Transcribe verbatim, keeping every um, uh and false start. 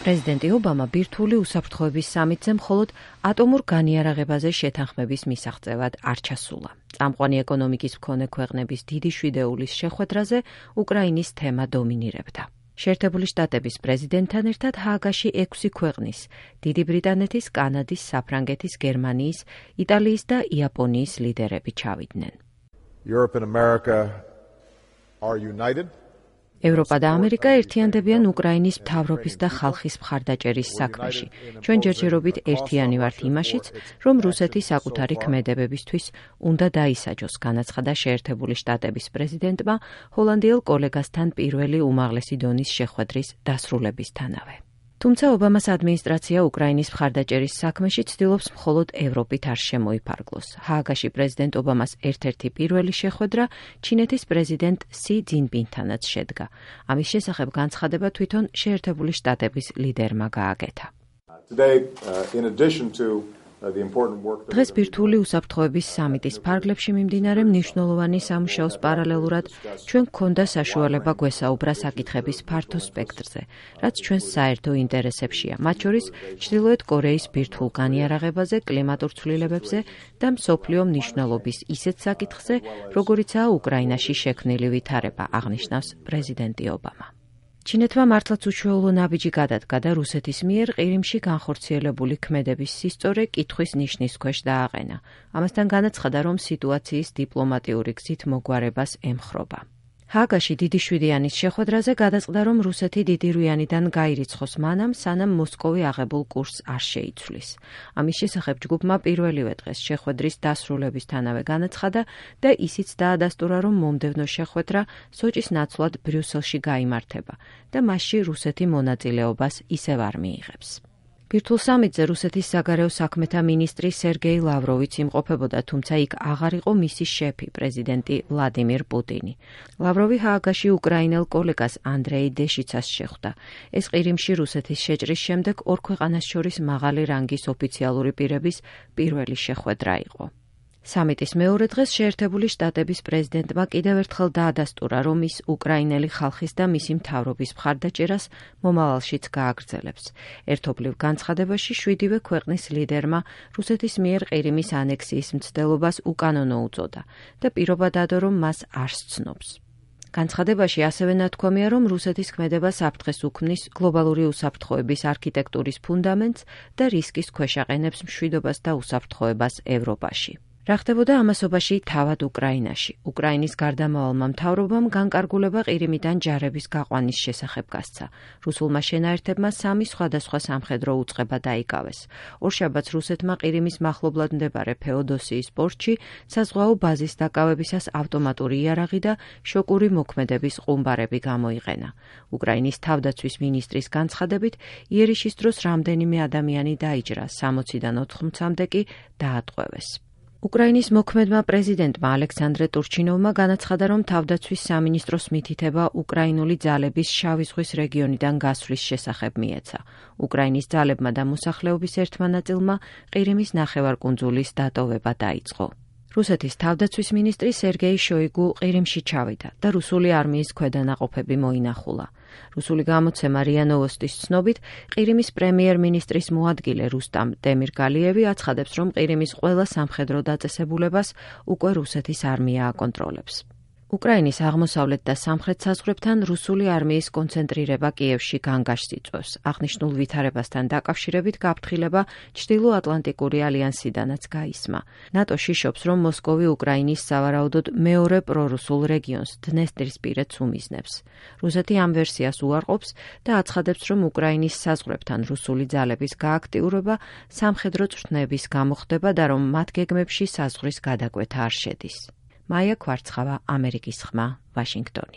პრეზიდენტი ობამა ბირთვული უსაფრთხოების სამიტზე მხოლოდ ატომურ განიარაღებაზე შეთანხმების მისაღწევად არ ჩასულა. წამყვანი ეკონომიკის მქონე ქვეყნების დიდი შვიდეულის შეხვედრაზე უკრაინის თემა დომინირებდა. შეერთებული შტატების პრეზიდენტთან ერთად ჰააგაში ექვსი ქვეყნის, დიდი ბრიტანეთის, კანადის, საფრანგეთის, გერმანიის, იტალიის და იაპონიის ლიდერები ჩავიდნენ. Europe and America are united. ევროპა და ამერიკა ერთიანდებიან უკრაინის მთავრობის და ხალხის მხარდაჭერის საქმეში. ჩვენ ჯერჯერობით ერთიანი ვართ იმაშიც, რომ რუსეთი საკუთარი ქმედებებისთვის უნდა დაისაჯოს, განაცხადა შეერთებული შტატების პრეზიდენტმა ჰოლანდიელ კოლეგასთან პირველი უმაღლესი დონის შეხვედრის დასრულებისთანავე. თუმცა ობამას ადმინისტრაცია უკრაინის მხარდაჭერის საქმეში ცდილობს მხოლოდ ევროპით არ შემოიფარგლოს. ჰააგაში პრეზიდენტ ობამას ერთ-ერთი პირველი შეხვედრა ჩინეთის პრეზიდენტ სი ძინპინთანაც შედგა. ამის შესახებ განცხადება თვითონ შეერთებული შტატების ლიდერმა გააკეთა. დღეს ბირთვული უსაფრთხოების სამიტის ფარგლებში მიმდინარე მნიშვნელოვანი სამუშაოს პარალელურად ჩვენ გქონდა საშუალება გვესაუბრა საკითხების ფართო სპექტრზე, რაც ჩვენს საერთო ინტერესებშია, მათ შორის ჩრდილოეთ კორეის ბირთვულ განიარაღებაზე, კლიმატურ ცვლილებებზე და მსოფლიო მნიშვნელობის ისეთ საკითხზე, როგორიცაა უკრაინაში შექმნილი ვითარება, აღნიშნავს პრეზიდენტი ობამა. ჩინეთმა მართლაც უჩვეულო ნაბიჯი გადადგა და რუსეთის მიერ ყირიმში განხორციელებული ქმედების სისწორე კითხვის ნიშნის ქვეშ დააყენა. ამასთან განაცხადა, რომ სიტუაციის დიპლომატიური გზით მოგვარებას ემხრობა. ჰააგაში დიდი შვიდიანის შეხვედრაზე გადაწყდა, რომ რუსეთი დიდი რუიანიდან გაირიცხოს მანამ, სანამ მოსკოვი აღებულ კურსს არ შეიცვლის. ამის შესახებ ჯგუფმა პირველივე დღეს შეხვედრის დასრულებისთანავე განაცხადა და ისიც დაადასტურა, რომ მომდევნო შეხვედრა სოჭის ნაცვლად ბრიუსელში გაიმართება და მასში რუსეთი მონაწილეობას ისევ არ მიიღებს. ბირთვულ სამიტზე რუსეთის საგარეო საქმეთა მინისტრი სერგეი ლავროვიც იმყოფებოდა, თუმცა იქ აღარ იყო მისი შეფი, პრეზიდენტი ვლადიმირ პუტინი. ლავროვი ჰააგაში უკრაინელ კოლეგას ანდრეი დეშიცას შეხვდა. ეს ყირიმში რუსეთის შეჭრის შემდეგ ორ ქვეყანას შორის მაღალი რანგის ოფიციალური პირების პირველი შეხვედრა იყო. სამიტის მეორე დღეს შეერთებული შტატების პრეზიდენტმა კიდევ ერთხელ დაადასტურა, რომ ის უკრაინელი ხალხის და მისი მთავრობის მხარდაჭერას მომავალშიც გააგრძელებს. ერთობლივ განცხადებაში შვიდივე ქვეყნის ლიდერმა რუსეთის მიერ ყირიმის ანექსიის მცდელობას უკანონო უწოდა და პირობა დადო, რომ მას არ სცნობს. განცხადებაში ასევე ნათქვამია, რომ რუსეთის ქმედება საფრთხეს უქმნის გლობალური უსაფრთხოების არქიტექტურის ფუნდამენტს და რისკის ქვეშ აყენებს მშვიდობას და უსაფრთხოებას ევროპაში. რა ხდებოდა ამასობაში თავად უკრაინაში? უკრაინის გარდამავალმა მთავრობამ განკარგულება ყირიმიდან ჯარების გაყვანის შესახებ გასცა. რუსულმა შენაერთებმა სამი სხვადასხვა სამხედრო უწყება დაიკავეს. ორშაბათს რუსეთმა ყირიმის მახლობლად მდებარე ფეოდოსიის პორტში საზღვაო ბაზის დაკავებისას ავტომატური იარაღი და შოკური მოქმედების ყუმბარები გამოიყენა. უკრაინის თავდაცვის მინისტრის განცხადებით, იერიშის დროს რამდენიმე ადამიანი დაიჯრა, სამოციდან ოთხმოცამდე კი დაატყვევეს. უკრაინის მოქმედმა პრეზიდენტმა ალექსანდრე ტურჩინოვმა განაცხადა, რომ თავდაცვის სამინისტროს მითითება უკრაინული ძალების შავი ზღვის რეგიონიდან გასვლის შესახებ მიეცა. უკრაინის ძალებმა და მოსახლეობის ერთმა ნაწილმა ყირიმის ნახევარკუნძულის დატოვება დაიწყო. რუსეთის თავდაცვის მინისტრი სერგეი შოიგუ ყირიმში ჩავიდა და რუსული არმიის ქვედანაყოფები მოინახულა. რუსული გამოცემა რია ნოვოსტის ცნობით, ყირიმის პრემიერ-მინისტრის მოადგილე რუსტამ დემირგალიევი აცხადებს, რომ ყირიმის ყველა სამხედრო დაწესებულებას უკვე რუსეთის არმია აკონტროლებს. უკრაინის აღმოსავლეთ და სამხრეთ საზღვრებთან რუსული არმიის კონცენტრირება კიევში განგაშს იწვევს. აღნიშნულ ვითარებასთან დაკავშირებით გაფრთხილება ჩრდილო-ატლანტიკური ალიანსიდანაც გაისმა. ნატოში შობს, რომ მოსკოვი უკრაინის სავარაუდოდ მეორე პრორუსულ რეგიონს დნესტრისპირეთს უმიზნებს. რუსეთი ამ ვერსიას უარყოფს და აცხადებს, რომ უკრაინის საზღვრებთან რუსული ძალების გააქტიურება სამხედრო წვრთნების გამოხდება და რომ მათ გეგმებში საზღვრის გადაკვეთა არ შედის. მაია ქვარცხავა, ამერიკის ხმა, ვაშინგტონი.